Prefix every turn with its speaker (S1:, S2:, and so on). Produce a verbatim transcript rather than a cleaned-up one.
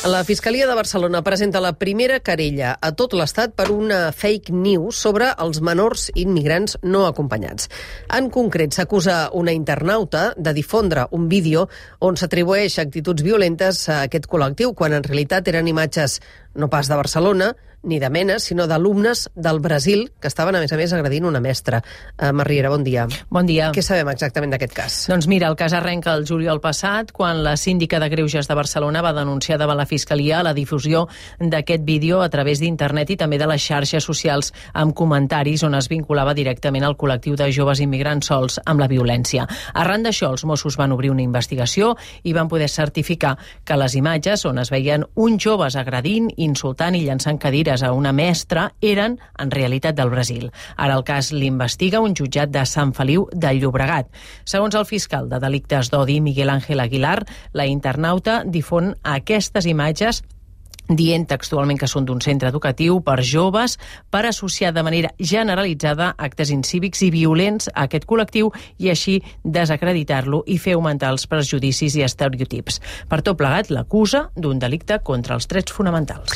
S1: La Fiscalia de Barcelona presenta la primera querella a tot l'Estat per una fake news sobre els menors immigrants no acompanyats. En concret, s'acusa una internauta de difondre un vídeo on s'atribueix actituds violentes a aquest col·lectiu, quan en realitat eren imatges no pas de Barcelona, ni de Menes, sinó d'alumnes del Brasil que estaven, a més a més, agredint una mestra. Uh, Marriera, bon dia.
S2: Bon dia.
S1: Què sabem exactament d'aquest cas?
S2: Doncs mira, el cas arrenca el juliol passat, quan la síndica de Greuges de Barcelona va denunciar davant la Fiscalia la difusió d'aquest vídeo a través d'internet i també de les xarxes socials amb comentaris on es vinculava directament al col·lectiu de joves immigrants sols amb la violència. Arran d'això, els Mossos van obrir una investigació i van poder certificar que les imatges on es veien uns joves agredint, insultant i llançant cadires a una mestra eren, en realitat, del Brasil. Ara el cas l'investiga un jutjat de Sant Feliu de Llobregat. Segons el fiscal de delictes d'odi, Miguel Ángel Aguilar, la internauta difon aquestes imatges dient textualment que són d'un centre educatiu per joves per associar de manera generalitzada actes incívics i violents a aquest col·lectiu i així desacreditar-lo i fer augmentar els prejudicis i estereotips. Per tot plegat, l'acusa d'un delicte contra els drets fonamentals.